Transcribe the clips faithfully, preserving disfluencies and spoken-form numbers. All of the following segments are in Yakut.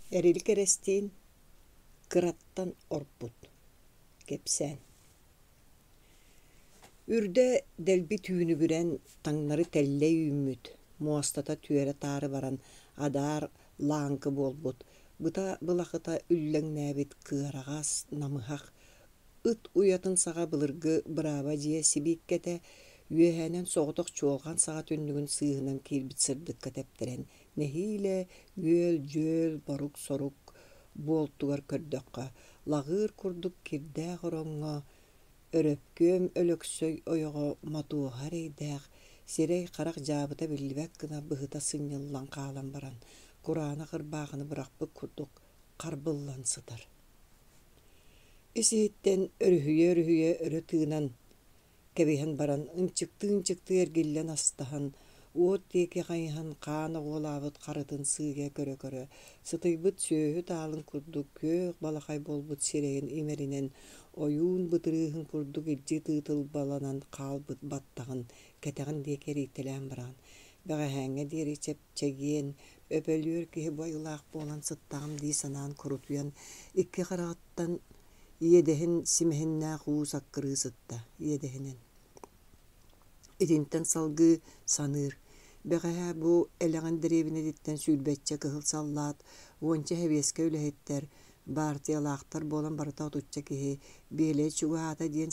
Эрилик Эрэстиин кыраттан орпут кэпсээн Үрдэ дэлби түүнүгүрэн, таҥнары тэллэй үүммүт, муостата түөрэ-таары баран адаар лааҥкы буолбут, быта былахыта үллэҥнээбит кыараҕас, намыһах, ыт уйатын саҕа былыргы бырааба дьиэ сибииккэтэ үөһээнэн соҕотох чуолҕан саҕа түннүгүн сыыһынан киирбит сырдыкка тэптэрэн нэһиилэ үөл-дьүөл, борук-сорук буолтугар көрдөххө, лаҕыыр курдук кирдээх ороҥҥо Өрөпкүөм Өлөксөй ойоҕо Мотуоһа эрэйдээх, сирэй-харах дьаабыта биллибэт гына быһыта сынньыллан хаалан баран, кураанах ырбаахыны бырахпыт курдук харбыллан сытар. Ис-иһиттэн өрүһүйэ-өрүһүйэ өрө тыынан кэбиһэн баран, ынчыктыы-ынчыктыы эргиллэн астаһан, уот диэки хайыһан хаан оҕуолаабыт харытын сыыйа көрө-көрө, сытыйбыт сүөһү таалын курдук күөх балахай буолбут сирэйин имэринэн, ойуун бытырыыһын курдук илдьи тыытылбаланан хаалбыт баттаҕын кэтэҕин диэки эрийтэлээн баран, бэҕэһээҥҥэ диэри чэпчэгиэн, өпөлүөр киһи бу айылаах буолан сыттаҕым дии санаан курутуйан, икки хараҕыттан иэдэһин симэһиннээх уу саккырыы сытта иэдэһинэн. Итинтэн салгыы саныыр: бэҕэһээ бу Элэҕин дэриэбинэтиттэн сүүрбэччэ кыһыл саллаат, уонча сэбиэскэй үлэһиттэр, баартыйалаахтар буолан барыта отучча киһи Биэлэй чугаһаата диэн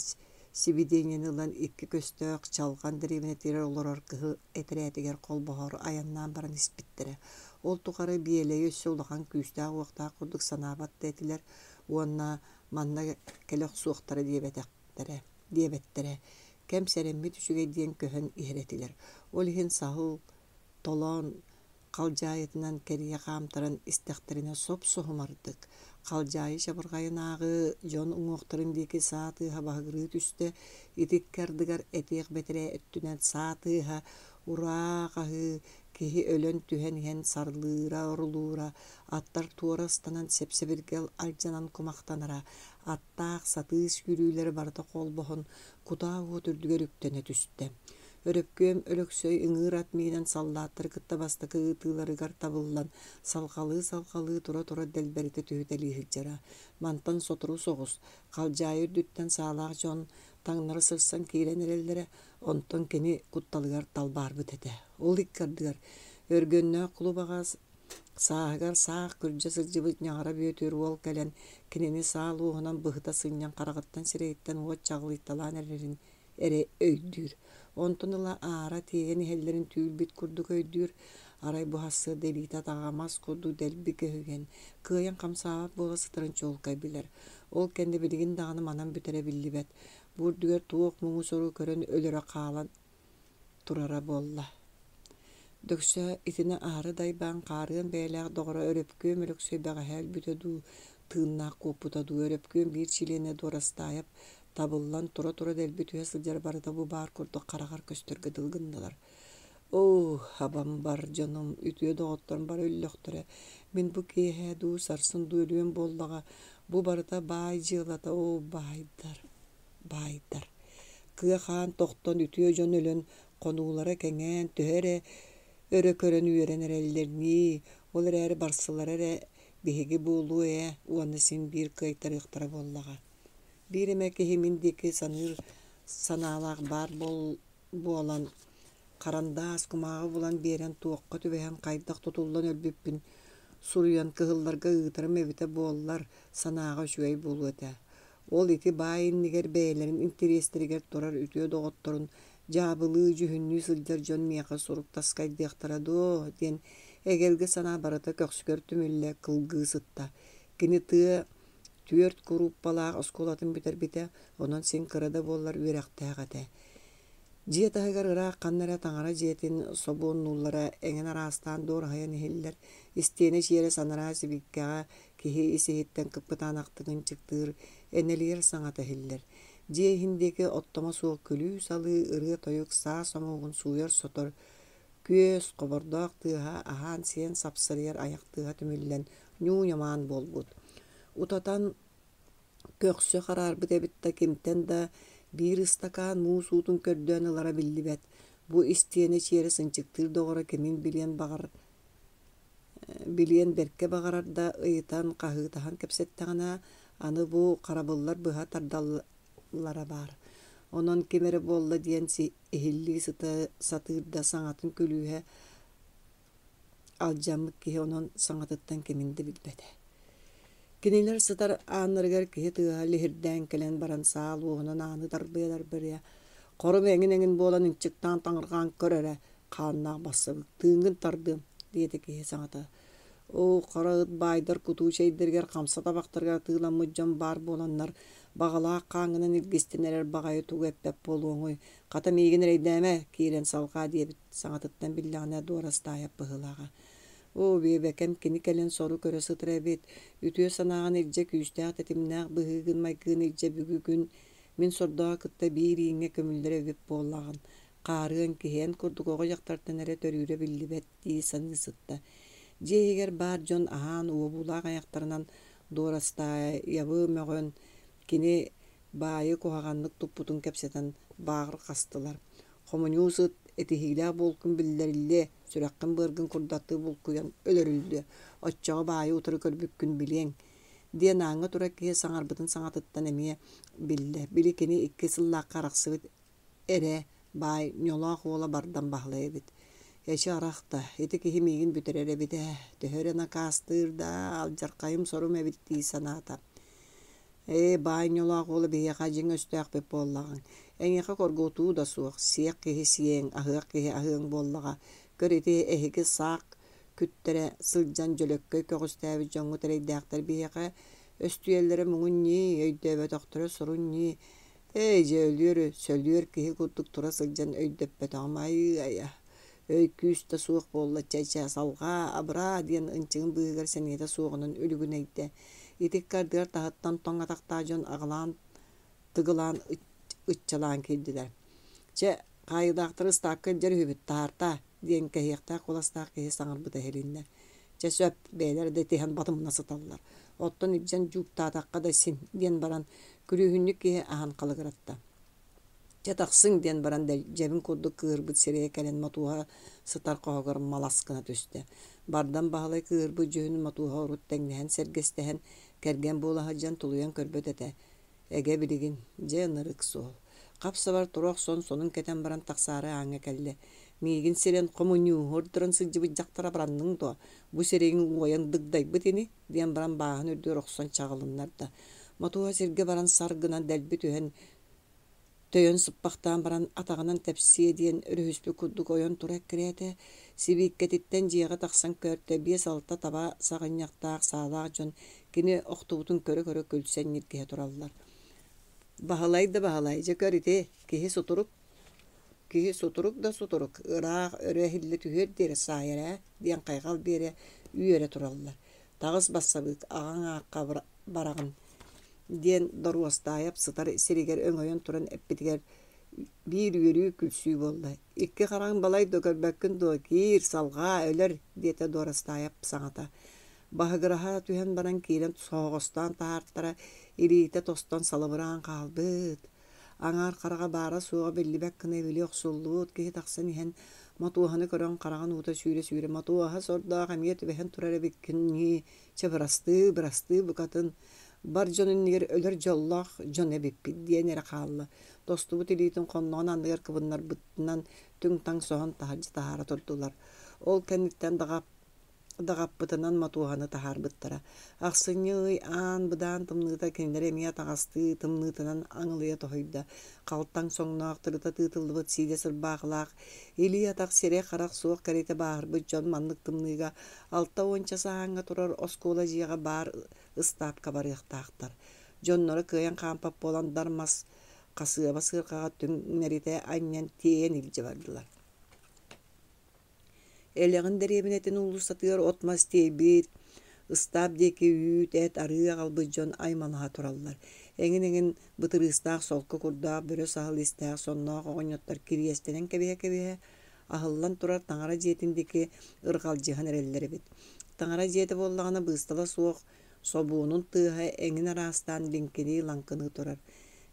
сибидиэнньэни ылан икки көстөөх Чалҕан дэриэбинэтигэр олорор кыһыл этэрээтигэр холбоһоору айаннаан баран испиттэрэ. Ол тухары Биэлэйи өссө улахан күүстээх-уохтаах курдук санаабат да этилэр уонна манна кэлэ охсуохтара диэбэтэхтэрэ диэбэттэрэ. Кэм сэрэммит үчүгэй диэн көһөн иһэр этилэр. Ол иһин саһыл толоон халдьаайытынан кэрийэ хаамтаран истэхтэринэ соп-соһумардык, халдьаайы чабырҕайынааҕы дьон уҥуохтарын диэки саа тыаһа баһыгырыы түстэ, ити икки ардыгар этиэх бэтэрээ өттүнэн саа тыаһа, ураа хаһыы, киһи өлөн түһэн иһэн сарлыыра, орулуура, аттар туора ыстанан сэп-сэбиргэл алдьанан кумахтанара, аттаах сатыы сүүрүүлэрэ барыта холбоһон, кутаа уот үрдүгэр үктэнэ түстэ. Өрөпкүөм Өлөксөй ыҥыыр ат миинэн саллааттары кытта бастакы ыытыыларыгар табыллан, салҕалыы-салҕалыы тура-тура дэлбэритэ түһүтэлии сылдьара. Мантан сотору соҕус, халдьаайы үрдүттэн саалаах дьон таҥнары сырсан киирэн эрэллэрэ, онтон кини кутталыгар талбаарбыт этэ. Ол икки ардыгар Өргөннөөх кулубаҕа сааһыгар саах күрдьэ сылдьыбыт Ньаҕара Бүөтүр уол кэлэн, кинини саа луоһунан быһыта сынньан хараҕыттан-сирэйиттэн уот чаҕылыйталаан эрэрин эрэ өйдүүр. Онтон ыла аара тиэйэн иһэллэрин түүл-бит курдук өйдүүр. Арай бу сарсыарда илиитэ-атаҕа мас курдук дэлби көһүйэн, кыайан хамсаабат буола сытарын чуолкай билэр. Ол кэннэ билигин даҕаны манан бүтэрэ биллибэт. Бу үрдүгэр туох муҥу-сору көрөн өлөрө хаалан турара буолла. Дөксө итини аһары дайбаан хаарыан бэйэлээх доҕоро Өрөпкүөм Өлөксөй бэҕэһээ өлбүтэ дуу, тыыннаах куоппута дуу, Өрөпкүөм биир чилиэнэ Дуорастаайап табыллан тура-тура дэлби түһэ сылдьара барыта бу баар курдук хараҕар көстөргө дылы гыннылар. Оо, абам бар дьонум, үтүө доҕотторум бары өллөхтөрө. Мин бу киэһэ дуу, сарсын дуу өлүөм буоллаҕа. Бу барыта баай дьыалата, оо, баайдар, баайдар. Кыа хаан тохтон, үтүө дьон өлөн, хонуулара кэҥээн, төһө эрэ өрө көрөн үөрэн эрэллэр ньии, ол эрээри барсылара эрэ биһиги буолуо ээ уонна син биир кыайтарыахтара буоллаҕа. Биир эмэ киһи мин диэки саныыр санаалаах баар буолан, харандаас кумааҕы булан биэрэн туохха түбэһэн хайдах тутуллан өлбүппүн суруйан кыһылларга ыытарым эбитэ буоллар, санааҕа үчүгэй буолуо этэ. Ол ити баай иннигэр бэйэлэрин интэриэстэригэр турар үтүө доҕотторун дьаабылыы, дьүһүннүү сылдьар дьон миэхэ сурук таскайдыахтара дуо диэн эгэлгэ санаа барыта көхсүгэр түмүллэ кылгыы сытта. Кини тыа түөрт курууппалаах оскуолатын бүтэрбитэ, онон син кыра да буоллар үөрэхтээх этэ. Дьиэ таһыгар ыраах ханна эрэ таҥара дьиэтин собуоннууллара эҥин араастаан дуораһыйан иһиллэр, истиэнэ чиэрэ санараа сибикэҕэ киһи ис-иһиттэн кыппытаанахтык ынчыктыыр, энэлийэр саҥата иһиллэр. Дьиэ иһин диэки оттомо суох күлүү-салыы, ырыа-тойук, саа сомуогун сууйар-сотор, күөс, хобордоох тыаһа аһаан-сиэн сапсарыйар айах тыаһа түмүллэн ньуу-ньамаан буолбут. Утатан көхсө хараарбыт эбит да кимтэн да биир ыстакаан муус уутун көрдөөн ылара биллибэт. Бу истиэнэ чиэрэ сынчыктыыр доҕоро кимин билиэн баҕар Билиэн бэркэ баҕарар да, ыйытан, хаһыытаһан кэпсэттэҕинэ, аны бу харабыллар быһа тардаллара баар. Онон ким эрэ буолла диэн иһиллии сыта сатыыр да саҥатын күлүүһэ алдьаммыт киһи онон саҥатыттан кимин да билбэтэ. Кинилэр сытар ааннарыгар киһи тыаһа лиһирдээн кэлэн баран саал уоһунан ааны тарбыйа-тарбыйа «Хорум эҥин-эҥин буолан ынчыктаан таҥырҕаан көр эрэ, хааннаах бассабык, тыыҥҥын тардыам» диэтэ киһи саҥата. Оо, хара ыт баайдар кутуу чэйдэригэр хамса табахтарыгар атыыламмыт дьон баар буоланнар, баҕалаах хааҥҥынан илгистэн эрэр баҕайы тугу эппэт буолуоҥуй, хата миигин эрэйдээмэ, киирэн салҕаа диэбит саҥатыттан биллэҕинэ Дуорастаайап быһыылааҕа. Оо, биэбэкэм кини кэлэн сору көрө сытар эбит, үтүө санааҕын илдьэ күүстээх тэтимнээх быһыыгын-майгыгын илдьэ бүгүн мин сордооҕу кытта биир ииҥҥэ көмүллэр эбит буоллаҕын, хаарыан киһи эн курдук оҕо дьахтартан эрэ төрүүрэ биллибэт дии саныы сытта. Дьиэ иһигэр баар дьон аһаан уобуулаах айахтарынан Дуорастаайабы мөҕөн, кини баайы куһаҕаннык туппутун кэпсэтэн бааҕырҕастылар. Хомуньуус ыт этиһиилээх буолкун биллэриллиэ, сүрэххин-быаргын курдаттыы булкуйан өлөрүллүө, оччоҕо баайы утары көрбүккүн билиэҥ диэн ааҥҥа турар киһи саҥарбытын саҥатыттан эмиэ биллэ. Били кини икки сыллаахха арахсыбыт эрэ баай ньолоох уола Бардам Баһылай эбит. Эчи арах да, ити киһи миигин бүтэрэр эбит ээ, төһө эрэ накаастыыр да, алдьархайым сорум эбит дии санаата. Ээ, баай ньолоох уола биһиэхэ дьиҥ өстөөхпүт буоллаҕыҥ. Эйиэхэ хоргутуу да суох, сиэх киһи сиэҥ, аһыах киһи аһыаҥ буоллаҕа. Көр ити эһиги саах күттэрэ сылдьан дьөлөккөй көҕүстээбит дьоҥҥут эрэйдээхтэр биһиэхэ өстүйэллэрэ муҥун ньии, өйдөөбөтөхтөрө сорун ньии. Эй, дьэ өлүөр, сөлүөр киһи курдук тура сылдьан өйдөппөтөҕүм айыы-айа. Өй күүс да суох буолла чэ-чэ, салҕаа, абыраа диэн ынчыгын быыһыгар сэниэтэ суоҕунан үлүгүнэйдэ. Ити икки ардыгар таһыттан тоҥ атахтаах дьон аҕылаан тыгылаан ыччалаан киирдилэр. Чэ, хаайыылаахтары ыстаапка илдьэр үһүбүт, таһаартаа диэн кэһиэхтээх куоластаах киһи саҥарбыта иһилиннэ. Чэ сөп, бэйэлэрэ да итиһэн батымна сыталлар. Оттон илдьэн дьууктаатахха да син диэн баран, күрүүһүнньүк киһи аһан халыгыратта. Чэ тахсыҥ диэн баран дьэбин курдук кыыһырбыт сирэйэ кэлэн Мотуоһа сытар хоһугар малас гына түстэ. Бардам Баһылай кыыһырбыт дьүһүнүн Мотуоһа урут тэҥнэһэн сэргэстэһэн, кэргэн буола сылдьан тулуйан көрбөт этэ. Эгэ билигин, дьэ ынырык суол. Хап-сабар тура охсон сонун кэтэн баран тахсаары ааҥҥа кэллэ. Миигин сирэн хомуньууһу ордорон сылдьыбыт дьахтар абыранныҥ дуо? Бу сирэйиҥ уойан дыгдайбыт ини диэн баран бааһын үрдүгэр охсон чаҕылыннарда. Мотуоһа сиргэ баран сар гынан дэлби түһэн Төйөн сыппахтаан баран атаҕынан тэпсиэ диэн өрүһүспүт курдук ойон тура эккирээтэ, сибииккэтиттэн дьиэҕэ тахсан көртө, биэс-алта таба саҕынньахтаах саалаах дьон кини охтубутун көрө-көрө күлсэн ньиргиһэ тураллар. Баһылай да Баһылай, дьэ көр ити, киһи сутурук киһи сутурук да сутурук, ыраах өрө эһиллэ түһүөр диэри саайар ээ диэн хайҕал биэрэ үөрэ тураллар. Таҕыс бассабыык, аҕаҥ аахха бараҕын диэн Доруостаайап сытар сиригэр өҥөйөн туран эппитигэр биир үөрүү-күлсүү буолла. Икки хараҥ балай да көрбөккүн дуо, киир, салҕаа, өлөр, диэтэ Дуорастаайап саҥата. Баһыгыраһа түһэн баран киирэн соһоҕостоон таһаартара, илиитэ тостон салыбыраан хаалбыт. Аҥаар хараҕа баара-суоҕа биллибэт гына ибили охсуллубут киһи тахсан иһэн Мотуоһаны көрөн хараҕын уута сүүрэ-сүүрэ «Мотуоһа сордоох эмиэ түбэһэн турар эбиккин ньии, чэ бырастыы, бырастыы букатын, бар дьон иннигэр өлөр дьоллоох дьон эбиппит» диэн эрэ хаалла. Тостубут илиитин хонноҕун анныгар кыбыннарбытынан түҥ-таҥ соһон таһырдьа таһаара турдулар. Ол кэнниттэн даҕа даҕаппытынан Мотуоһаны таһаарбыттара. Ахсынньы ый аан быдаан тымныыта кинилэри эмиэ атаҕастыы тымныытынан аҥылыйа тоһуйда. Халтаҥ соҥноох тырыта тыытыллыбыт сиидэ сырбаахылаах, илии-атах, сирэй-харах суох кэриэтэ бааһырбыт дьон маннык тымныыга алта уонча саһааҥҥа турар оскуола дьиэҕэ баар ыстаапка барыахтаахтар. Дьонноро кыайан хаампат буолан дар мас хасыаба сыарҕаҕа түҥнэритэ анньан тиэйэн илдьэ бардылар. Элэҕин дэриэбинэтин уулуссатыгар от-мас тиэйбит, ыстаап диэки үүт, эт, арыы аҕалбыт дьон аймалаһа тураллар. Эҥин-эҥин бытырыыстаах солко курдаах, бөрө саһыл истээх сонноох оҕонньоттор кириэстэнэн кэбиһэ-кэбиһэ, аһыллан турар таҥара дьиэтин диэки ырҕалдьыһан эрэллэр эбит. Таҥара дьиэтэ буоллаҕына быыстала суох собуонун тыаһа эҥин араастаан лиҥкинии-лаҥкыныы турар.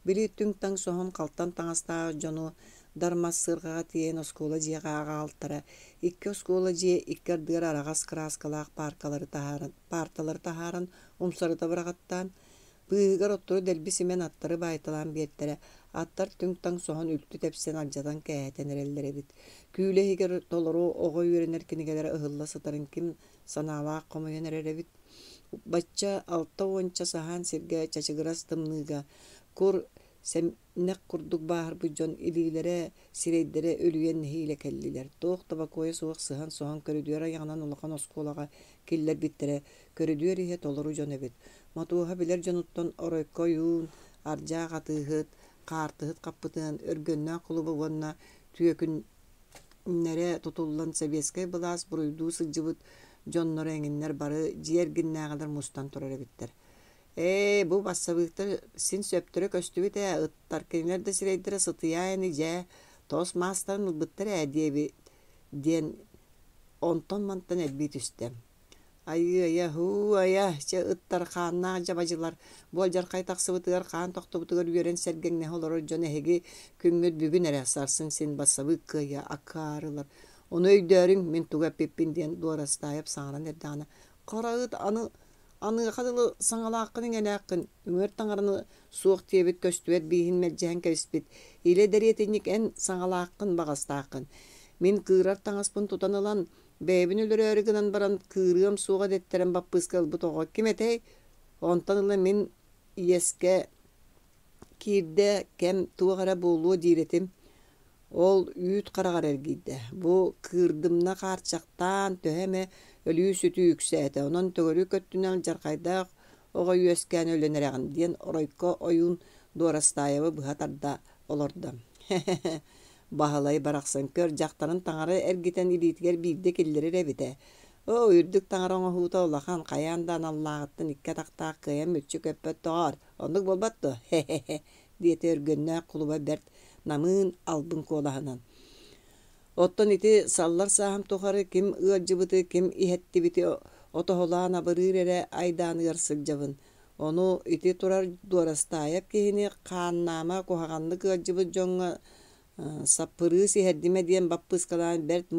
Били түҥ-таҥ соһон халтан таҥастаах дьону дар мас сыарҕаҕа тиэйэн оскуола дьиэҕэ аҕалтара. Икки оскуола дьиэ икки ардыгар араҕас кырааскалаах пааркалары таһааран, паарталары таһааран умсарыта быраҕаттаан, быыһыгар оттору дэлби симэн аттары баайталаан биэртэрэ. Аттар түҥ-таҥ соһон үлтү тэпсэн алдьатан кээһэтэн эрэллэр эбит. Күүлэ иһигэр толору оҕо үөрэнэр кинигэлэрэ ыһылла сытарын ким санаалаах хомуйан эрэр эбит. Бачча алта уонча саһаан сиргэ чачыгырас тымныыга кур сэмнэх курдук бааһырбыт дьон илиилэрэ, сирэйдэрэ үлүйэн нэһиилэ кэллилэр. Туох да бокуойа суох сыһан-соһон көрүдүөр айаҕынан улахан оскуолаҕа киллэрбиттэрэ, көрүдүөр иһэ толору дьон эбит. Мотуоһа билэр дьонуттан Оройко ойуун, Ардьаах атыыһыт, Хаартыһыт Хаппытыан, Өргөннөөх кулуба уонна түөкүннэрэ тутуллан сэбиэскэй былаас буруйдуу сылдьыбыт дьонноро эҥиннэр бары дьиэ эргиннээҕилэр мустан турар эбиттэр. Ээ, бу бассабыыктар син сөптөрө көстүбүт ээ, ыттар кинилэр да сирэйдэрэ сытыйаа ини дьээ, тоос маастарын ылбыттар ээ диэбит диэн онтон-мантан элбии түстэ. Айыы-айа, һуу-айа, чэ ыттар хааннаах дьабадьылар, бу алдьархай тахсыбытыгар хаан тохтубутугар үөрэн сэргэҥнэһэ олорор дьон эһиги күҥҥүт бүгүн эрэ, сарсын син бассабыык кыайа акаарылар. Ону өйдөөрүҥ, мин тугу эппиппин диэн Дуорастаайап саҥаран эрдэҕинэ, хара ыт аны аныаха дылы саҥалааххын-иҥэлээххин, үҥэр таҥараны суох диэбит көстүбэт бииһин мэлдьэһэн кэбиспит, илэ дэриэтинньик эн саҥалааххын баҕастааххын. Мин кыырар таҥаспын тутан ылан, бэйэбин өлөрөөрү гынан баран кыырыам суоҕа дэттэрэн баппыыска ылбыт оҕо ким этэй? Онтон ыла мин иэскэ киирдэ кэм туох эрэ буолуо диир этим. Ол үүт хараҕар эргийдэ. Бу кыырдымна хаарчахтаан төһө эмэ өлүү-сүтүү үксээтэ. Онон төгүрүк өттүнэн алдьархайдаах оҕо үөскээн өлөн эрэҕин диэн Оройко ойуун Дуорастаайабы быһа тарда олордо. Баһылай барахсан көр дьахтарын таҥара эргитэн илиитигэр биирдэ киллэрэр эбит ээ. Оо, үрдүк таҥара оҥоһуута улахан, хайаан да аналлааҕыттан икки атахтаах кыайан мүччү көппөт доҕоор, оннук буолбат дуо? Хе-хе-хе, диэтэ Өргөннөөх кулуба бэрт намыын албын куолаһынан. Оттон ити саллар сааһым тухары ким ыалдьыбыты, ким иһэттибити отоһулаан абырыыр эрэ айдааныгар сылдьабын. Ону ити турар Дуорастаайап киһини хааннаама куһаҕаннык ыалдьыбыт дьоҥҥо саппырыыс иһэрдимэ диэн баппыыскалаан бэрт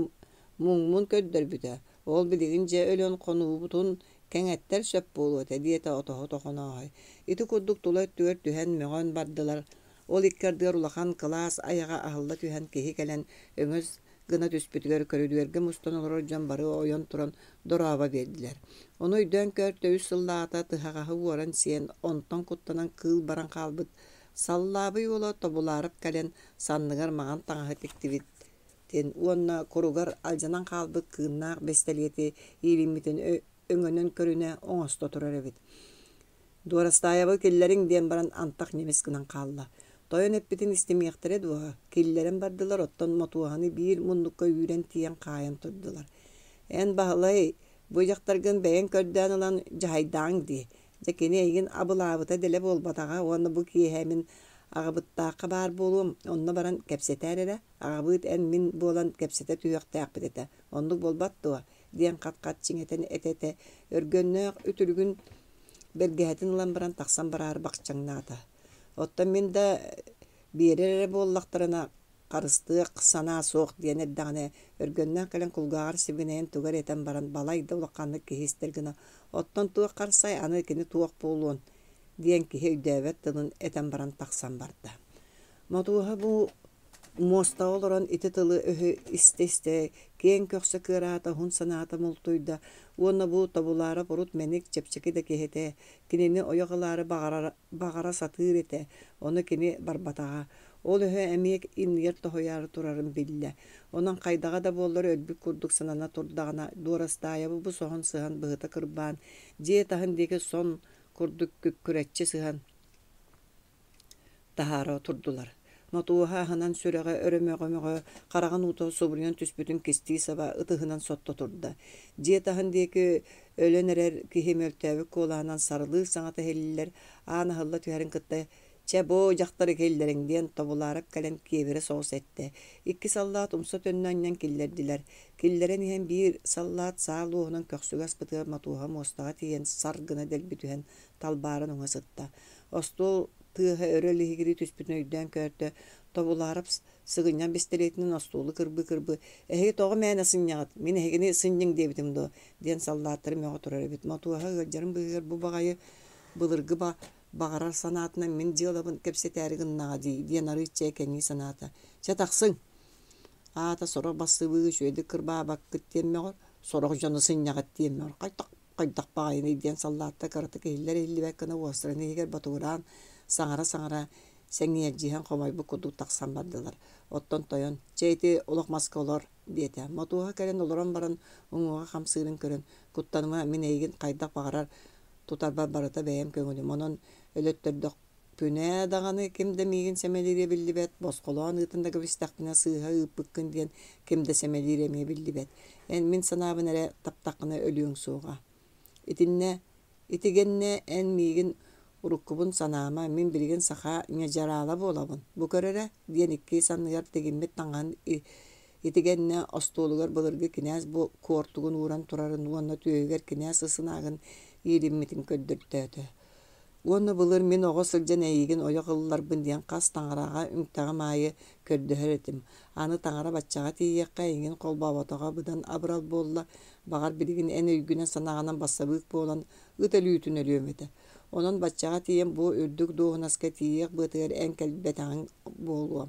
муҥмун көрдөрбүтэ. Ол билигин дьэ өлөн хонуубутун кэҥэттэр сөп буолуо этэ диэтэ отоһут Охонооһой. Ити курдук тула өттүгэр түһэн мөҕөн бардылар. Ол икки ардыгар улахан кылаас айаҕа аһылла түһэн киһи кэлэн өҥөс гына түспүтүгэр көрүдүөргэ мустан олорор дьон бары ойон туран дорообо биэрдилэр. Ону өйдөөн көөртө үс сыллааҕыта тыһаҕаһы уоран сиэн, онтон куттанан кыыл баран хаалбыт Саллаабый уола Тобулаарап кэлэн санныгар маҥан таҥаһы тиктибитин уонна куругар алдьанан хаалбыт кыыннаах бэстэлиэти иилиммитин өҥөнөн көрүнэ оҥосто турар эбит. Дуорастаайабы киллэриҥ диэн баран антах ньимис гынан хаалла. Тойон эппитин истимиэхтэрэ дуо, киллэрэн бардылар, оттон Мотуоһаны биир муннукка үүрэн тиийэн хаайан турдулар. Эн, Баһылай, бу дьахтаргын бэйэҥ көрдөөн ылан дьаһайдааҥ дии. Дьэ кини эйигин абылаабыта дэлэ буолбатаҕа уонна бу киэһэ мин аҕабыттаахха баар буолуом, онно баран кэпсэтээр эрэ, аҕабыыт эн мин буолан кэпсэтэ түһүөхтээхпит этэ, оннук буолбат дуо диэн хат-хат чиҥэтэн этэ-этэ өргөннөөх үтүлүгүн бэргэһэтин ылан баран тахсан бараары бахчаҥнаата. Оттон мин да биэрэр эрэ буоллахтарына харыстыах санаа суох диэн эрдэҕинэ Өргөннөөх кэлэн кулгааҕар сибигинэйэн тугу эрэ этэн баран балай да улаханнык киһи истэр гына «Оттон туох харсай, аны кини туох буолуон» диэн киһи өйдөөбөт тылын этэн баран тахсан барда. Мотуоһа бу муостаҕа олорон ити тылы-өһү истэ-истэ киэҥ көхсө кыараата, уһун санаата мултуйда уонна бу Тобулаарап урут мэник, чэпчэки да киһи этэ, кинини ойох ылаары баҕарара баҕара сатыыр этэ, ону кини барбатаҕа. Ол өһө эмиэ иннигэр тоһуйаары турарын биллэ. Онон хайдаҕа да буоллар өлбүт курдук санана турдаҕына, Дуорастаайабы бу соһон сыһан быһыта кырбаан, дьиэ таһын диэки сон курдук күккүрэччи сыһан таһаара турдулар. Мотуоһа аһынан сүрэҕэ өрө мөҕө-мөҕө, хараҕын уута субуруйан түспүтүн кистии саба ытыһынан сотто турда. Дьиэ таһын диэки өлөн эрэр киһи мөлтөөбүт куолаһынан сарылыыр саҥата иһиллэр, аан аһылла түһэрин кытта «Чэ, бу дьахтары киллэриҥ» диэн Тобулаарап кэлэн киэбирэ соҕус эттэ. Икки саллаат умса төннө анньан киллэрдилэр. Киллэрэн иһэн биир саллаат саа луоһунан көхсүгэ аспытыгар Мотуоһа муостаҕа тиийэн сар гына дэлби түһэн талбааран уҥа сытта. Остуол тыаһа өрө лиһигирии түспүтүн өйдөөн көөртө, Тобулаарап сыгынньах бэстилиэтинэн остуолу кырбыы-кырбыы, «Эһиги тоҕо мээнэ сынньаҕыт, мин эһигини сынньыҥ диэбитим дуо?» диэн саллааттары мөҕө турар эбит. Мотуоһа ыалдьарын быыһыгар бу баҕайы былыргы ба баҕарар санаатынан мин дьыалабын кэпсэтээри гыннаҕа дии диэн арыычча кэҥии санаата. «Чэ тахсыҥ, аата сорох бассыбыы үчүгэйдик кырбаабаккыт диэн мөҕөр, сорох дьону сынньаҕыт диэн мөҕөр, хайдах хайдах баҕайыный» диэн саллааттар кыратык иһиллэр иһиллибэт гына уостарын иһигэр ботугураан саҥара-саҥара сэҥээрдьиһэн хомойбут курдук тахсан бардылар. Оттон тойон, «Чэ ити олох маска олор» диэтэ. Мотуоһа кэлэн олорон баран уҥуоҕа хамсыырын көрөн, «Куттаныма, мин эйигин хайдах баҕарар тутарбар барыта бэйэм көҥүлүм, онон өлөттөрдөхпүнэ даҕаны ким да миигин сэмэлиирэ биллибэт, босхолоон ыытан да кэбистэхпинэ сыыһа ыыппыккын диэн ким да сэмэлиирэ эмиэ биллибэт. Эн мин санаабын эрэ таптаххына өлүөҥ суоҕа. Итиннэ итигэннэ эн миигин уруккубун санаама, мин билигин саха ньадьараала буолабын, бу көр эрэ» диэн икки санныгар тигиммит таҥаһын итигэннэ остуолугар былыргы кинээс куортугун ууран турарын уонна түөһүгэр кинээс ысынаагын иилиммитин көрдөртөөтө. Уонна былыр мин оҕо сылдьан эйигин ойох ылларбын диэн хас таҥараҕа үҥтэҕим аайы көрдөһөр этим. Аны таҥара баччаҕа тиийиэххэ эйигин холбооботоҕо быдан абырал буолла. Баҕар билигин эн өйгүнэн-санааҕынан бассабыык буолан ыт өлүүтүн өлүөм этэ. Онон баччаҕа тиийэн бу үрдүк дуоһунаска тиийиэх быатыгар эн кэлбэтэҕиҥ буолуо.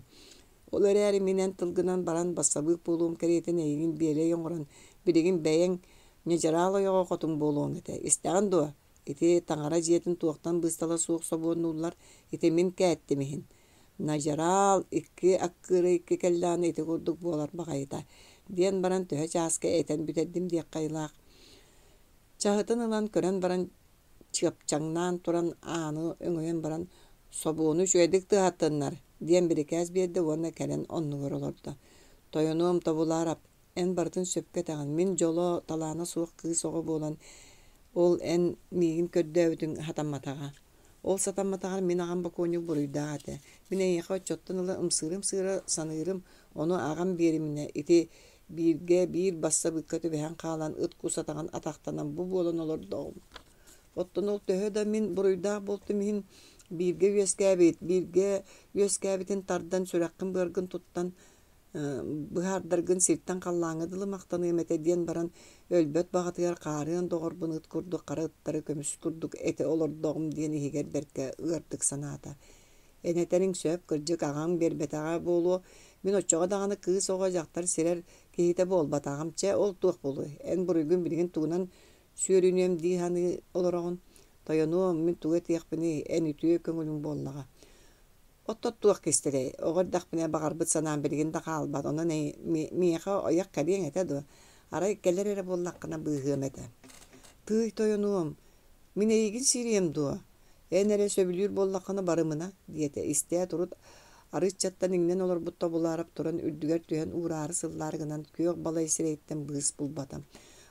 Ол эрээри мин эн тылгынан баран бассабыык буолуом кэриэтин эйигин биэлэй оҥорон, билигин бэйэҥ ньадьараал ойоҕо хотун буолуоҥ этэ. Истэҕин дуо? Ити таҥара дьиэтин туохтан быыстала суох собуоннууллар, ити мин кээттим иһин. Ньадьараал икки аккыара икки кэллэҕинэ ити курдук буолар баҕайыта, диэн баран төһө чааска этэн бүтэрдим диэххэ айылаах. Чаһытын ылан көрөн баран чыапчаҥнаан туран ааны өҥөйөн баран «Собуону үчүгэйдик тыаһаттыннар» диэн бирикээс биэрдэ уонна кэлэн оннугар олордо. «Тойонуом Тобулаарап, эн барытын сөпкө этэҕин, мин дьоло, талаана суох кыыс оҕо буолан, ол эн миигин көрдөөбүтүҥ сатамматаҕа. Ол сатамматаҕар мин аҕам бокуонньук буруйдаах этэ. Мин эйиэхэ оччоттон ыла ымсыыра-ымсыыра саныырым, ону аҕам биэриминэ, ити бииргэ биир бассабыыкка түбэһэн хаалан ыт кус атаҕын атахтанан бу буолан олордоҕум. Оттон ол төһө да мин буруйдаах буолтум иһин бииргэ үөскээбит, бииргэ үөскээбитин тардан сүрэххин-быаргын туттан быһаардаргын сиртэн халлааҥҥа дылы махтаныам этэ диэн баран өлбөт баҕатыгар хаарыан доҕорбун ыт курдук хара ыттары көмүс курдук этэ олордоҕум диэн иһигэр бэркэ ыардык санаата. Эн этэриҥ сөп, кырдьык аҕаҥ биэрбэтэҕэ буолуо, мин оччоҕо даҕаны кыыс оҕо дьахтар сирэр киһитэ буолбатаҕым, чэ ол туох буолуой, эн буруйгун билигин тугунан сүөрүнүөм дии саныы олороҕун, тойонуом, мин тугу этиэхпиний, эн үтүө көҥүлүҥ буоллаҕа. Оттон туох кистэлэй, оҕо эрдэхпинэ баҕарбыт санаам билигин да хаалбат, онон миэхэ ойох кэлиэҥ этэ дуо, арай кэлэр эрэ буоллаххына быыһыам этэ. Тыый тойонуом, мин эйигин сириэм дуо, эн эрэ сөбүлүүр буоллаххына барымына, диэтэ истээт урут арыыччаттан иҥнэн олорбут Тобулаарап туран үрдүгэр түһэн уураары сыллаары гынан күөх балай сирэйиттэн быыс булбата.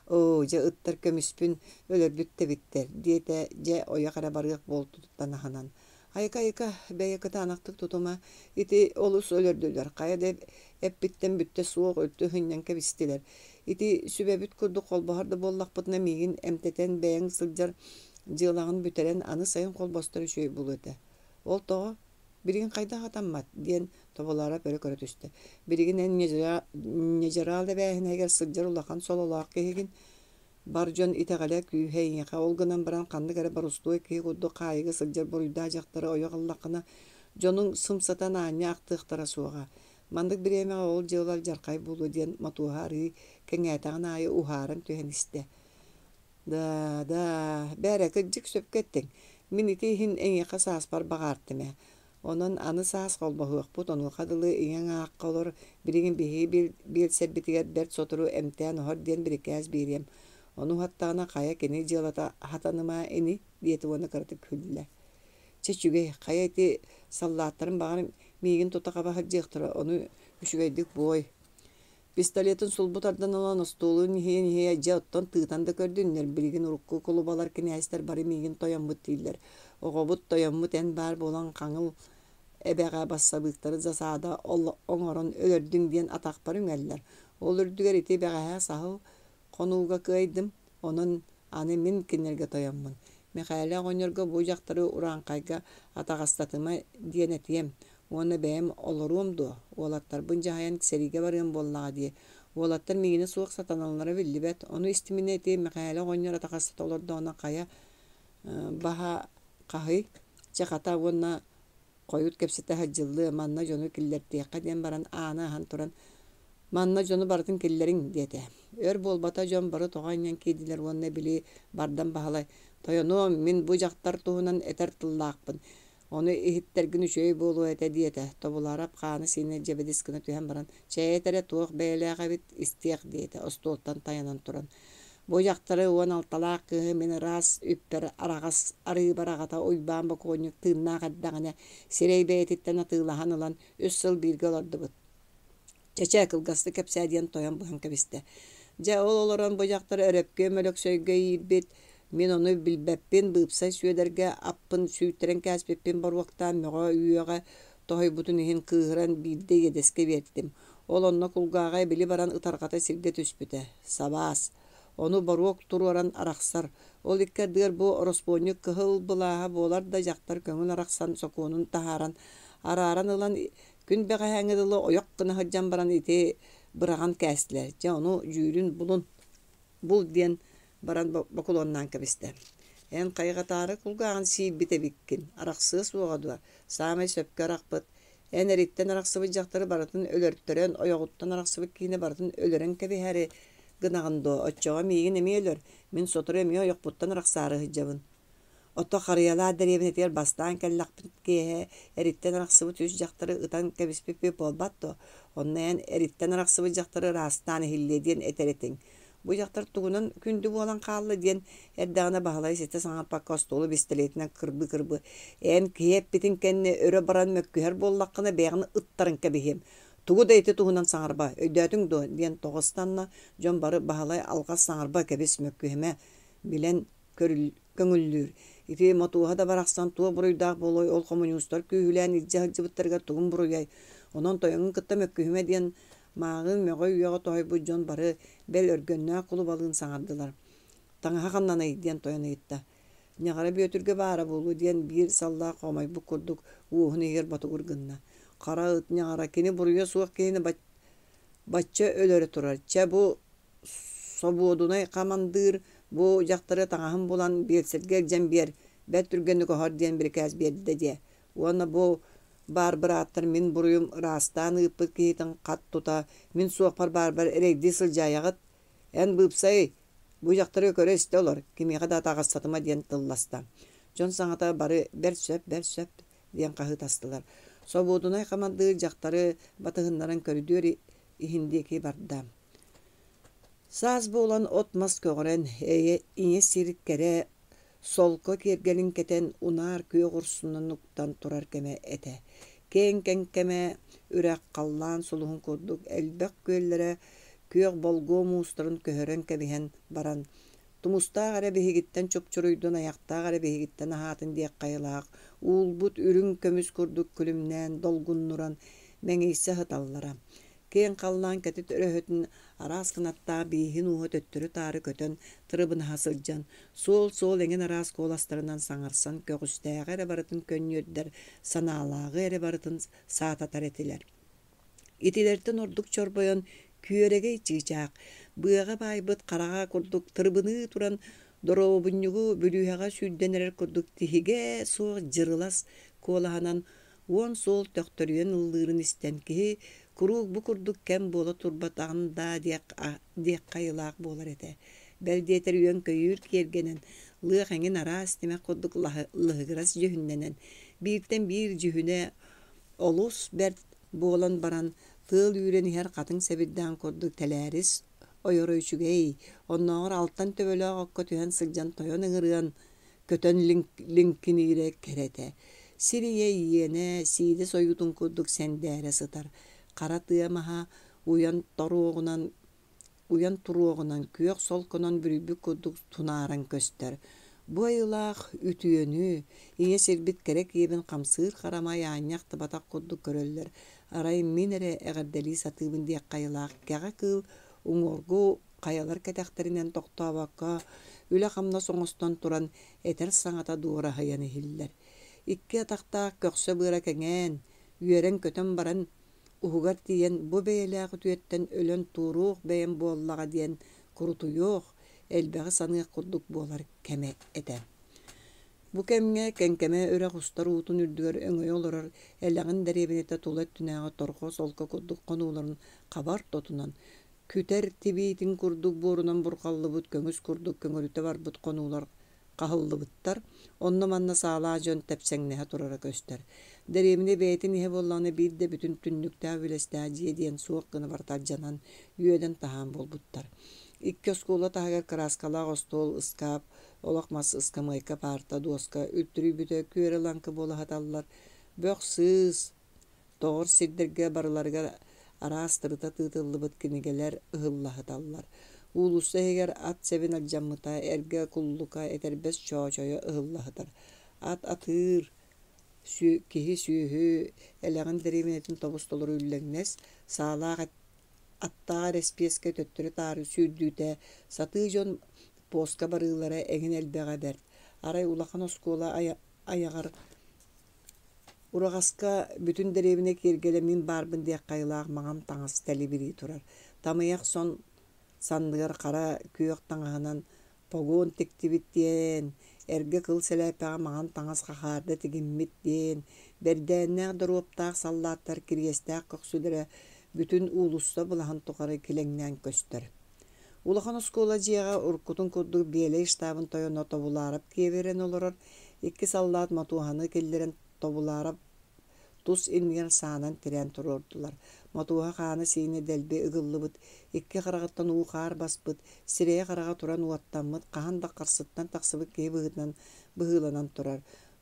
Оо, дьэ ыттар көмүспүн өлөрбүт да эбиттэр, диэтэ дьэ ойох эрэ барыах буолтуттан аһынан. Айка-айка, бэйэ кытаанахтык тутума, ити олус өлөрдүлэр, хайа да эппиттэн бүттэ суох үлтү һынньан кэбистилэр. Ити сүбэбит курдук холбоһор да буоллахпытына миигин эмтэтэн бэйэҥ сылдьар дьыалаҕын бүтэрэн аны сайын холбостор үчүгэй буолуо этэ. Ол тоҕо? Билигин хайдах атаммат? диэн Тобулаарап өрө көрө түстэ. Билигин эн ньадьараал эбээһинэһигэр сылдьар улахан сололоох киһигин. Бар дьон итэҕэлэ күүһэ эйиэхэ, ол гынан баран ханнык эрэ боростуой киһи курдук хаайыыга сылдьар буруйдаах дьахтары ойох ыллаххына, дьонуҥ сымсатан аанньа ахтыахтара суоҕа. Маннык бириэмэҕэ ол дьыала алдьархай буолуо диэн Мотуоһа арыый кэҥээтэҕин аайы уһааран түһэн истэ. Да, да, бээрэ, кырдьык сөпкө эттиҥ. Мин ити иһин эйиэхэ сааспар баҕаартым ээ. Онон аны саас холбоһуохпут, онуоха дылы ийэҥ аахха олор, билигин биһиги биэлсэрбитигэр бэрт сотору эмтээн оһор диэн бирикээс биэриэм. Ону уһаттаҕына хайа кини дьыалата хатаныма ини диэтэ уонна кыратык күллэ. Чэ үчүгэй, хайа ити саллааттарым баҕар миигин тута хаба сылдьыахтара, ону үчүгэйдик буой. Пистолетын сулбу тардан ылан остуолун иһийэн-иһийэ дьэ оттон тыытан да көрдүннэр, билигин урукку кулубалар кинээстэр бары миигин тойоммут дииллэр. Оҕобут тойоммут эн баар буолан хаҥыл эбэҕэ бассабыыктары засада оҥорон өлөрдүҥ диэн атахпар үҥэллэр. Ол үрдүгэр ити бэҕэһээ саһыл хонууга кыайдым, онон аны мин кинилэргэ тойоммун. Мэхээлэ оҕонньорго бу дьахтары урааҥхайга атаҕастатыма диэн этиэм. Уонна бэйэм олоруом дуо, уолаттарбын дьаһайан сэриигэ барыам буоллаҕа дии. Уолаттар миигинэ суох сатаналлара биллибэт. Ону истиминэ ити Мэхээлэ оҕонньор атаҕастата олордоҕуна хайа баһа хаһый? Чэ хата уонна хойут кэпсэтэ сылдьыллыа, манна дьону киллэртиэххэ диэн баран ааны аһан туран «Манна дьону барытын киллэриҥ» диэтэ. Өр буолбата дьон бары тоҕо анньан киирдилэр уонна били Бардам Баһылай «Тойонуом, мин бу дьахтар туһунан этэр тыллаахпын, ону иһиттэргин үчүгэй буолуо этэ» диэтэ. Тобуларап хаана-сиинэ дьэбидис гына түһэн баран «Чэй этэрэ туох бэйэлээх эбит, истиэх» диэтэ остуолтан тайанан туран. Бу дьахтары уон алталаах кыыһы мин ыраас үппэр араҕас арыыбар аҕата Уйбаан бокуонньук тыыннаах эрдэҕинэ сирэй бэйэтиттэн атыылаһан ылан үс сыл бииргэ олордубут. Чэ-чэ, кылгастык кэпсээ диэн тойон быһан кэбистэ. Дьэ, ол олорон бу дьахтар Өрөпкүөм Өлөксөйгө иирбит, мин ону билбэппин, быыпсай Сүөдэргэ аппын сүүйтэрэн кээспиппин боруоктаан мөҕө-үөҕэ тоһуйбутун иһин кыыһыран биирдэ иэдэскэ биэртим. Ол онно кулгааҕа эбили баран ытарҕата сиргэ түспүтэ. Сабаас. Ону боруок туруоран арахсар. Ол икки ардыгар бу ороспуонньук кыһыл былааһа буолар да дьахтар көҥүл арахсан сокуонун таһааран, арааран ылан күн бэҕэһээҥҥи дылы ойох гына сылдьан баран ити быраҕан кээстилэр. Дьэ ону дьүүлүн булун, бул диэн баран бокулуоннаан кэбистэ. Эн хайҕатаары кулгааҕын сиирбит эбиккин, арахсыа суоҕа дуо? Саамай сөпкө арахпыт. Эн эриттэн арахсыбыт дьахтары барытын өлөртөрөн, ойоҕуттан арахсыбыт киһини барытын өлөрөн кэбиһээри гынаҕын дуо? Оччоҕо миигин эмиэ өлөр, мин сотору эмиэ ойохпуттан арахсаары сылдьабын. Ото Харыйалаах дэриэбинэтигэр бастаан кэллэхпит киэһэ эриттэн арахсыбыт үс дьахтары ытан кэбиспиппит буолбат дуо? Онно эн эриттэн арахсыбыт дьахтары ыраастаан иһиллиэ диэн этэр этиҥ. Бу дьахтар тугунан күндү буолан хаалла диэн эрдэҕинэ Баһылай ситэ саҥарпакка остуолу бистэлиэтинэн кырбыы-кырбыы «Эн киһи эппитин кэннэ өрө баран мөккүһэр буоллаххына бэйэҕин ыттаран кэбиһиэм. Тугу да ити туһунан саҥарба, өйдөөтүҥ дуо?» диэн тоҕо ыстанна. Дьон бары Баһылай алҕас саҥарба кэбис мөккүһүмэ билэн көҥүллүүр. Ити Мотуоһа да барахсан туох буруйдаах буолуой, ол хомуньуустар күүһүлээн илдьэ сылдьыбыттарыгар тугун буруйай? Онон тойоҥун кытта мөккүһүмэ диэн мааҕын мөҕө-үөҕэ тоһуйбут дьон бары бэл Өргөннөөх кулубалыын саҥардылар. «Таҥаһа ханнаный?» диэн тойон ыйытта. Ньаҕара Бүөтүргэ баара буолуо диэн биир саллаах хомойбут курдук уоһун иһигэр ботугур гынна. Хара ыт ньаҕара кини буруйа суох киһини бачча өлөрө турар. Чэ бу собуодунай хамандыыр бу дьахтары таҥаһын булан биэлсэргэ илдьэн биэр, бэрт түргэнник оһор диэн бирикээс биэрдэ диэ. Уонна бу баар бырааттар мин буруйум ыраастаан ыыппыт киһитин хат тута, мин суохпар баарбар эрэйдии сылдьаайаҕыт. Эн быыпсай, бу дьахтары көрө-истэ олор, кимиэхэ да атаҕастатыма диэн тылласта. Дьон саҥата бары бэрт сөп, бэрт сөп диэн хаһыытастылар. Собуодунай хамандыыр дьахтары батыһыннаран көрүдүөр иһин диэки барда. Саас буолан от-мас көҕөрөн, ийэ сир кэрэ солко киэргэлин кэтэн, унаар күөх урсунун уктан турар кэмэ этэ. Киэҥ кэҥкэмэ үрэх халлаан сулуһун курдук элбэх күөллэрэ күөх болгуо муустарын көһөрөн кэбиһэн баран, тумустаах эрэ биһигиттэн чупчуруйдун, айахтаах эрэ биһигиттэн аһаатын диэх хайалаах, уулбут үрүҥ көмүс курдук күлүмнээн, долгуннуран, мэҥийсэ сыталлара. Киэҥ халлаан кэтит өрөһөтүн араас кынаттаах бииһин ууһа төттөрү-таары көтөн тырыбынаһа сылдьан, суол-суол эҥин араас куоластарынан саҥарсан көҕүстээҕи эрэ барытын көнньүөрдэр, санаалааҕы эрэ барытын саататар этилэр. Итилэртэн ордук чорбойон күөрэгэй чыычаах, быаҕа баайбыт хараҕа курдук тырыбыныы туран, доруобунньугу бүлүүһэҕэ сүүрдэн эрэр курдук тиһигэ суох дьырылас куолаһынан уон суол төхтөрүйэн ыллыырын истэн киһи куруук бу курдук кэм буола турбатаҕын даа диэх, диэх хайылаах буолар этэ. Бэл диэтэр үөн-көйүүр киэргэнэн, лыах эҥин араас тимэх курдук лыһыгырас дьүһүннэнэн, бииртэн биир дьүһүнэ олус бэрт буолан баран, тыал үүрэн иһэр хатыҥ сэбирдэҕин курдук тэлээрис ойоро үчүгэй, оннооҕор алтан төбөлөөх окко түһэн сылдьан тойон ыҥырыан, көтөн лиҥкиниирэ кэрэтэ. Сир ийэ иэнэ сиидэ сойуутун курдук сэндээрэ сытар, хара тыа маһа уйан торуоҕунан уйан туруоҕунан күөх солконон бүрүйбүт курдук тунааран көстөр. Бу айылаах үтүөнү, ийэ сирбит кэрэ киэбин хамсыыр харамай аанньа ахтыбатах курдук көрөллөр. Арай мин эрэ эҕэрдэлии сатыыбын диэх хайалаах кэҕэ кыыл уҥуоргу хайалар кэтэхтэринэн тохтообокко, үлэ-хамнас оҥостон туран этэр саҥата дуораһыйан иһиллэр. Икки атахтаах көхсө быара кэҥээн, Үөрэн-көтөн баран, уһугар тиийэн бу бэйэлээх үтүөттэн өлөн туоруох бэйэм буоллаҕа диэн курутуйуох, элбэҕи саныах курдук буолар кэмэ этэ. Бу кэмҥэ Кэҥкэмэ үрэх устар уутун үрдүгэр өҥөйө олорор Элэҕин дэриэбинэтэ тула өттүнээҕи торҕо солко курдук хонууларын хабар тотунан, күтэр тибиитин курдук буорунан бурҕаллыбыт көҥүс курдук көҥөрүтэ барбыт хонуулар хаһыллыбыттар, онно-манна саалаах дьон тэпсэҥнэһэ турара көстөр. Дэриэбинэ бэйэтин иһэ буоллаҕына биир да бүтүн түннүктээх үөлэстээх дьиэ диэн суох гына барыта алдьанан, үөдэн-таһаан буолбуттар. Икки оскуола таһыгар кырааскалаах остуол, ыскаап, олох мас ыскамыайка, паарта, дуоска үлтүрүйбүтэ күөрэ-лаҥкы буола сыталлар. Бөх-сыыс тоҕор сирдэргэ барыларыгар араас тырыта тыытыллыбыт кинигэлэр ыһылла сыталлар. Уулусса иһигэр ат сэбин алдьаммыта, эргэ куллука, этэрбэс чоочойо ыһылла сытар. Ат атыыр, киһи сүөһү элэҕин дэриэбинэтин тобус-толору үллэҥнэс, саалаах аттаах эрэспиэскэ төттөрү-таары сүүрдүүтэ, сатыы дьон поска барыылара эҥин элбэҕэ бэрт. Арай улахан оскуола айаҕар ураҕаска бүтүн дэриэбинэ киэргэлэ мин баарбын диэххэ айылаах маҥан таҥас тэлибирии турар. Тамыйах сон санныгар хара күөх таҥаһынан погон тиктибит диэн, эргэ кыл сэлээппэҕэ маҥан таҥас хахаарда тигиммит диэн, бэрдээннээх доруоптаах саллааттар кириэстээх көхсүлэрэ бүтүн уулусса былаһын тухары килэҥнээн көстөр. Улахан оскуола дьиэҕэ уруккутун курдук Биэлэй штабын тойоно Тобулаарап киэбирэн олорор, икки саллаат Мотуоһаны киллэрэн Тобулаарап тус иннигэр саанан тирээн туруордулар. Мотуоһа хаана-сиинэ дэлби ыгыллыбыт, икки хараҕыттан уу-хаар баспыт, сирэйэ-хараҕа туран уоттаммыт, хаһан да харсыттан тахсыбыт киһи быһыытынан быһыыланан турар.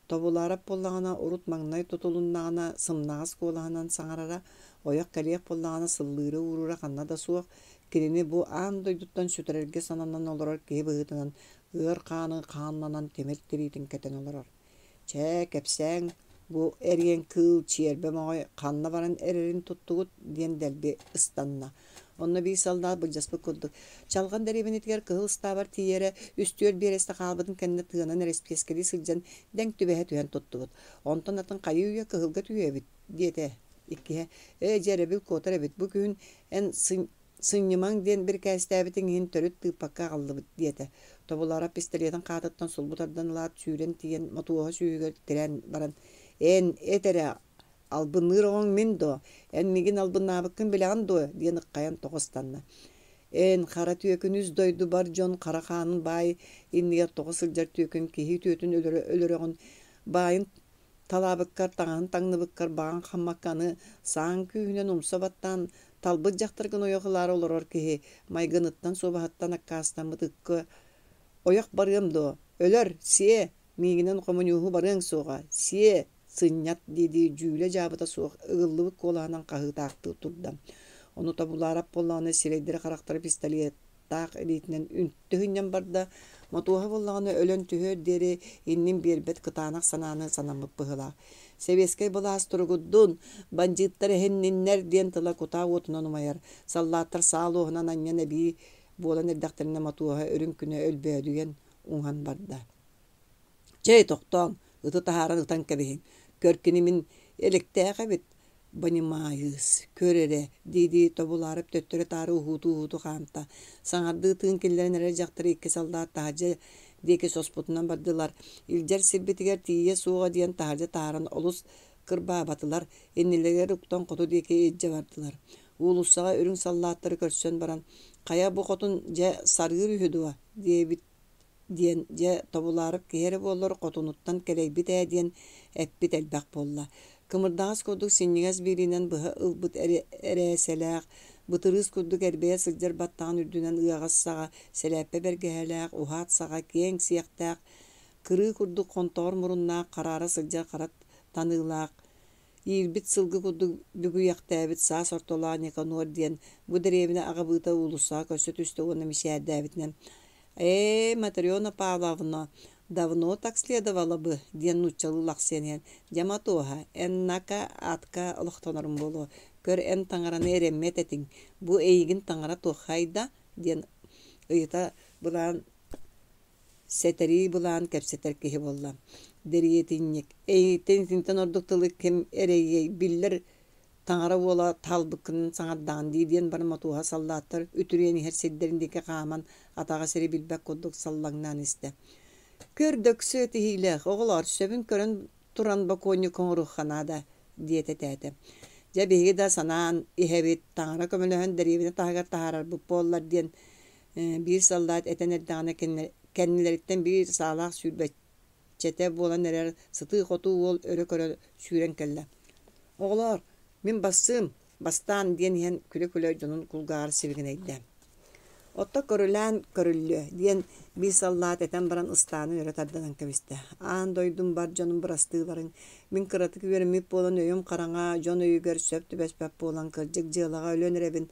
Тобулаарап буоллаҕына урут маҥнай тутулуннаҕына сымнаҕас куолаһынан саҥарара, ойох кэлиэх буоллаҕына сыллыыра-ууруура ханна да суох, кинини бу аан дойдуттан сүтэрэргэ сананан олорор киһи быһыытынан ыар хааны хааннанан тимир тириитин кэтэн олорор. Чэ, кэпсээҥ, бу эриэн кыыл чиэрбэ моҕой ханна баран эрэрин туттугут диэн дэлби ыстанна. Онно биир саллаат былдьаспыт курдук Чалҕан дэриэбинэтигэр Кыһыл ыстаабар тиийэрэ үс-түөрт биэрэстэ хаалбытын кэннэ тыанан эрэспиэскэлии сылдьан дэҥ түбэһэ түһэн туттубут. Онтон атын хайыы-үйэ Кыһылга түһүө эбит диэтэ. Иккиһэ ээ дьэ эрэбил куотар эбит бу күһүн эн сынньымаҥ диэн бирикээстээбитиҥ иһин төрүт тыыппакка аҕаллыбыт диэтэ. Тобуларап пистолетын хаатыттан сулбу тардан ылаат сүүрэн тиийэн Мотуоһа сүүһүгэр тирээн баран «Эн эт эрэ албынныыр оҕоҥ мин дуо? Эн миигин албыннаабыккын билэҕин дуо?» диэн ыххайан тоҕо ыстанна. «Эн хара түөкүн үс дойду бар дьон хара хаанын баай иннигэр тоҕо сылдьар түөкүн киһи үтүөтүн өлөрө өлөрөҕүн баайын талаабыккар, таҥаһын таҥныбыккар баҕаҥ хаммакка аны сааҥ күүһүнэн умса баттаан талбыт дьахтаргын ойох ылаары олорор киһи майгыныттан суобаһыттан аккаастаммыт ыкка ойох барыам дуо? Өлөр, сиэ, миигинэн хомуньууһу барыаҥ суоҕа, сиэ, сынньат дии-дии дьүүлэ-дьаабыта суох ыгыллыбыт куолаһынан хаһыытаахтыы турда. Ону Тобулаарап буоллаҕына сирэйдэрэ-харахтара пистолет таах илиитинэн үнтү сынньан барда, Мотуоһа буоллаҕына өлөн түһүөр диэри иннин биэрбэт кытаанах санааны санаммыт быһыылаах. Сэбиэскэй былаас туругурдун, бандьыыттар эһинниннэр диэн тыла кутаа уотунан умайар. Саллааттар саа луоһунан анньан эбии буолан эрдэхтэринэ Мотуоһа үрүҥ күнэ өлбөөдүйэн уҥан барда. Чэй, тохтооҥ, ыты таһааран ытан кэбиһиҥ. Көр кини мин элэктээх эбит, Понимаюсь, көр эрэ, дии-дии Тобулаарап төттөрү-таары уһуутуу-уһуутуу хаамта. Саҥардыы тыын киллэрэн эрэр дьахтары икки саллаат таһырдьа диэки соспутунан бардылар. Илдьэр сирбитигэр тиийиэ суоҕа диэн таһырдьа таһааран олус кырбаабатылар, иннилэригэр уктан хоту диэки илдьэ бардылар. Уулуссаҕа үрүҥ саллааттары көрсөн баран, «Хайа бу хотун дьэ сарыыр үһү дуо?» диэбит диэн дьэ тобулаарап киһи эрэ буоллар хотунуттан кэлэйбит ээ диэн эппит элбэх буолла. Кымырдаҕас курдук синньигэс биилинэн быһа ылбыт эрээсэлээх, бытырыыс курдук эрбэйэ сылдьар баттаҕын үрдүнэн ыаҕас саҕа, сэлээппэ бэргэһэлээх, уһаат саҕа киэҥ сиэхтээх, кырыы курдук хонтоҕор муруннаах, хараара сылдьар хара таныылаах, иирбит сылгы курдук бүгүйэхтээбит саас ортолоох Никанор диэн бу дэриэбинэ аҕабыыта уулуссаҕа көрсө түстэ уонна мичээрдээбитинэн «Ээ, Матрена Павловна, давно так следовало бы» диэн нууччалыы лахсыйан иһэн «Дьэ, Матуоһа, эн нака атка олохтонорум буолуо, көр эн таҥараны эрэммэт этиҥ, бу эйигин таҥара туоххайда?» диэн ыйыта былаан Сэтэрии былаан кэпсэтэр киһи буолла. Дэриэтинньик, эйигиттэн итинтэн ордук тылы ким эрэйиэй, биллэр таҥара уола таалбыккын саҥардаҕын дии диэн баран Мотуоһа саллааттар үтүрүйэн иһэр сирдэрин диэки хааман атаҕа сири билбэт курдук саллаҥнаан истэ. Көр дөксө тиһиилээх оҕолоор, сөбүн көрөн туран бокуонньук оҥоруохха наада диэтэ тээтэ. Дьэ биһиги да санаан иһэбит, таҥара көмөлөһөн дэриэбинэ таһыгар таһаарарбыт буоллар диэн биир саллаат этэн эрдэҕинэ кэннилэриттэн биир саалаах сүүрбэччэтэ буолан эрэр сытыы-хотуу уол өрө көрө сүүрэн кэллэ. Оҕолоор, мин бассыым, бастаан диэн иһэн күлэ-күлэ дьонун кулгааҕар сибигинэйдэ. Отто көрүлээн көрүллүө диэн биир саллаат этэн баран ыстаанын өрө тардынан кэбистэ. Аан дойдум бар дьонум бырастыыларыҥ, мин кыратык үөрэммит буолан өйүм хараҥа, дьон өйүгэр сөп түбэспэт буолан кырдьык дьыалаҕа өлөн эрэбин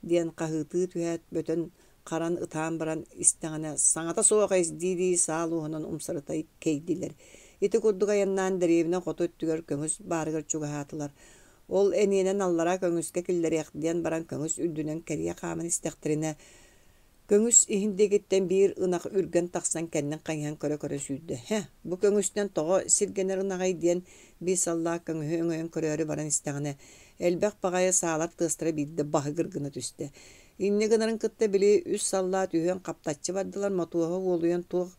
диэн хаһыытыы түһээт бөтөн харан ытаан баран истэҕинэ саҥата суох эс дии-дии саал уоһунан умсарыта кэйдилэр. Ити курдук айаннаан дэриэбинэ хоту өттүгэр көҥүс баарыгар чугаһаатылар. Ол эниэнэн аллараа көҥүскэ киллэриэх диэн баран көҥүс үрдүнэн кэрийэ хааман истэхтэринэ көҥүс иһин диэкиттэн биир ынах үргэн тахсан кэннин хайыһан көрө-көрө сүүрдэ. Һэ, бу көҥүстэн тоҕо сиргэнэр ынаҕай диэн биир саллаат көҥүһү өҥөйөн көрөөрү баран истэҕинэ, элбэх баҕайы саалар тыастара биирдэ баһыгыр гына түстэ. Инньэ гынарын кытта били үс саллаат үһүөн хаптаччы бардылар, Мотуоһа уолуйан туох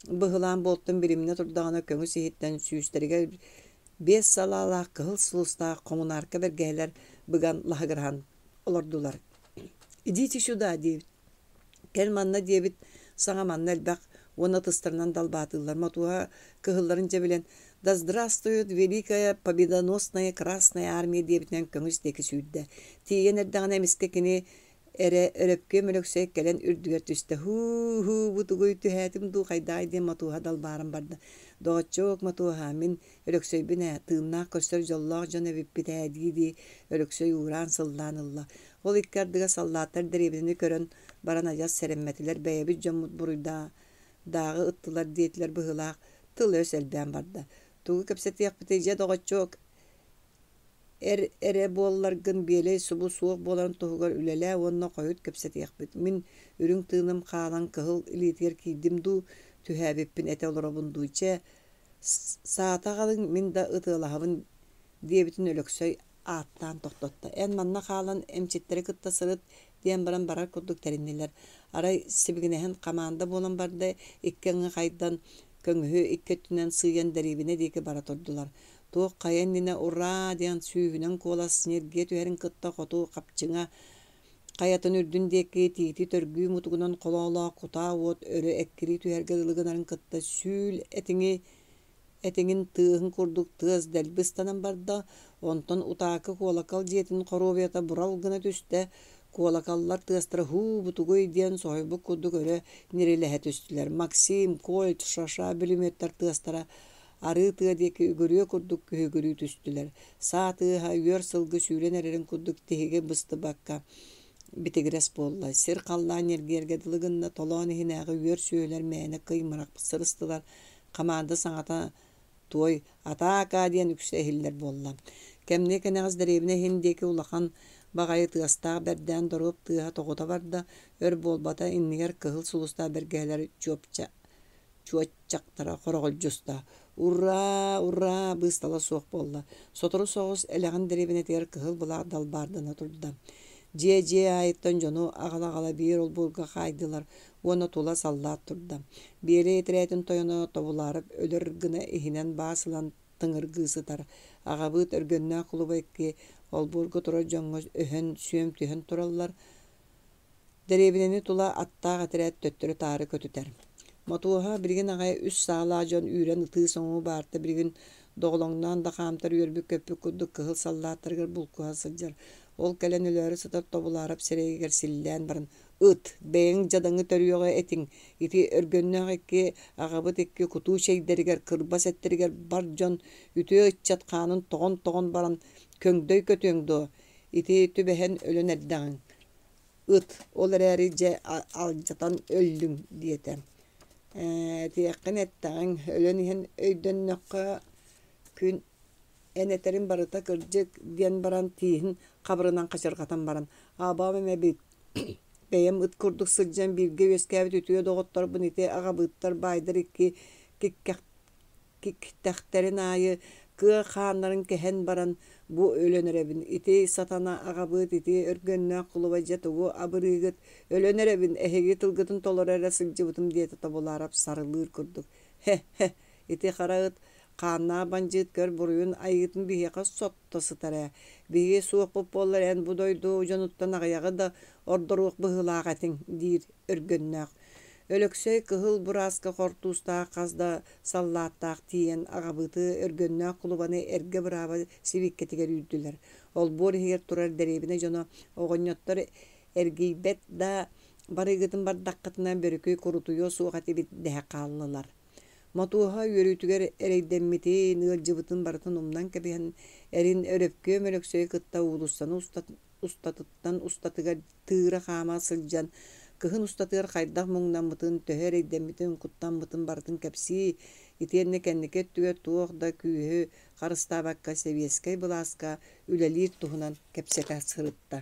быһылаан буолтун билиминэ турдаҕына көҥүс иһиттэн сүүстэригэр биэс салаалаах кыһыл сулустаах хомунаарка бэргэһэлэр быган лаһыгыраһан олордулар. «Идите сюда» диэбит. Кэл манна диэбит саҥа манна элбэх уонна ытыстарынан далбаатыыллар. Мотуоһа кыһылларын дьэ билэн «Да здравствует великая победоносная Красная Армия» диэбитинэн көҥүс диэки сүүрдэ. Тиийэн эрдэҕинэ эмискэ кини эрэ Өрөпкүөм Өлөксөй кэлэн үрдүгэр түстэ. «Һуу-һуу, бу тугуй түһээтим дуу, хайдаҕай» диэн Мотуоһа далбааран барда. «Доҕоччуок, Мотуоһа, мин Өлөксөйбүн ээ, тыыннаах көрсөр дьоллоох дьон эбиппит ээ» дии-дии Өлөксөй уураан-сыллаан ылла. Ол икки ардыгар саллааттар дэриэбинэни көрөн баран адьас сэрэммэтилэр, бэйэбит дьоммут буруйдааҕы ыттылар диэтилэр быһыылаах, тыл-өс элбээн барда. Тугу кэпсэтиэхпитий дьэ, доҕоччуок, эр эрэ буолларгын биэлэй субу суох буоларын туһугар үлэлээ уонна хойут кэпсэтиэхпит. Мин үрүҥ тыыным хаалан кыһыл илиитигэр киирдим дуу, түһээбиппин этэ олоробун дуу, чэ, саата аҕалыҥ, мин да ытыалаһабын диэбитин Өлөксөй ааттаан тохтотто. Эн манна хаалан эмчиттэри кытта сырыт диэн баран барар курдук тэриннилэр. Арай сибигинэһэн хамаанда буолан барда, икки аҥы хайдан, көҥүһү икки өттүнэн сыыйан дэриэбинэ диэки бара турдулар. Туох хайа иннинэ «Ураа!» диэн сүүһүнэн куолас ньиргийэ түһэрин кытта хоту хапчыҥа хайатын үрдүн диэки тиити төргүү мутугунан холоолоох кутаа уот өрө эккирии түһэргэ дылы гынарын кытта сүүл этиҥи этиҥин тыаһын курдук тыас дэлби ыстанан барда, онтон утаакы куолакал дьиэтин хоруобуйата бурал гына түстэ, куолакаллар тыастара «Һуу, бутугуй» диэн соһуйбут курдук өрө ньирилэһэ түстүлэр. Максим, Кольт, Шаша бүлүмүөттэр тыастара арыы тыа диэки үгүрүө курдук күһүгүрүү түстүлэр. Саа тыаһа үөр сылгы сүүрэн эрэрин курдук тиһиги быстыбакка битигирэс буолла. Сир-халлаан ньиргиэргэ дылы гынна, толоон иһинээҕи үөр сүөһүлэр мээнэ кый-мырах сырыстылар. Хамаанда саҥата туой «Атаака!» диэн үксэ иһиллэр буолла. Кэмниэ кэнэҕэс дэриэбинэ иһин диэки улахан баҕайы тыастаах бэрдээн доруоп тыаһа тоҕута барда, өр буолбата иннигэр кыһыл сулустаах бэргэһэлэр чуопча чуоччахтара хороҕолдьуста. «Ураа! Ураа!» быыстала суох буолла. Сотору соҕус Элэҕин дэриэбинэтигэр кыһыл былаах далбаардана турда. Дьиэ-дьиэ аайыттан дьону аҕала-аҕала биир олбуорга хаайдылар уонна тула саллаат турда. Биэлэй этэрээтин тойоно тобулаарап өлөр гына иһинэн баас ылан тыҥыргыы сытар. Аҕабыыт Өргөннөөх кулуба икки олбуорга турар дьоҥҥо өһөн, сүөм түһэн тураллар. Дэриэбинэни тула аттаах этэрээт төттөрү-таары көтүтэр. Мотуоһа билигин аҕай үс саалаах дьон үүрэн ытыы-соҥуу баарта билигин доҕолоҥноон да хаамтар үөрбүт-көппүт курдук кыһыл саллааттарыгар булкуһа сылдьар. Ол кэлэн өлөөрү сытар Тобулаарап сирэйигэр силлээн баран «Ыт, бэйэҥ дьадаҥы төрүөҕэ этиҥ, ити Өргөннөөх икки аҕабыт икки кутуу чэйдэригэр, кырбас эттэригэр бар дьон үтүө ыччат хаанын тоҕон-тоҕон баран көҥдөй көтүөҥ дуо, ити түбэһэн өлөн эрдэҕиҥ ыт, ол эрээри дьэ алдьатан өллүҥ» диэтэ. Ээ, этиэххин эттэҕиҥ, өлөн иһэн өйдөннөххө күн эн этэрин барыта кырдьык диэн баран тииһин хабырынан хачырҕатан баран абам эбит Бэйэм ыт курдук сылдьан бииргэ үөскээбит үтүө доҕотторбун ити аҕабыыттар баайдар икки киктэхтэрин аайы кыа хааннарын кэһэн баран бу өлөн эрэбин. Ити сатана аҕабыыт, ити Өргөннөөх кулуба дьэ тугу абырыыгыт, өлөн эрэбин, эһиги тылгытын толоро эрэ сылдьыбытым диэтэ Тобулаарап сарылыыр курдук. Хе-хе, ити хара ыт хааннаах бандьыыт көр буруйун айыытын биһиэхэ сотто сытар ээ. Биһиги суохпут буоллар эн бу дойду дьонуттан аҕыйаҕы да ордоруох быһыылаах этиҥ, диир Өргөннөөх. Өлөксөй кыһыл бурааска хортуустаах хас да саллааттаах тиийэн аҕабыыты Өргөннөөх кулубаны эргэ бырааба сибииккэтигэр үүрдүлэр. Олбуор иһигэр турар дэриэбинэ дьоно оҕонньоттор эргийбэт да барыыгытын бардаххытына бөрүкү курутуйуо суох этибит дэһэ хааллылар. Мотуоһа үөрүүтүгэр эрэйдэммитин, ыалдьыбытын барытын умнан кэбиһэн, эрин Өрөпкүөм Өлөксөйү кытта уулуссаны устатыттан устатыгар тыыра хаама сылдьан, кыһын устатыгар хайдах муҥнаммытын, төһө эрэйдэммитин, куттаммытын барытын кэпсии, итиэннэ кэнники өттүгэр туох да күүһү харыстаабакка сэбиэскэй былааска үлэлиир туһунан кэпсэтэ сырытта.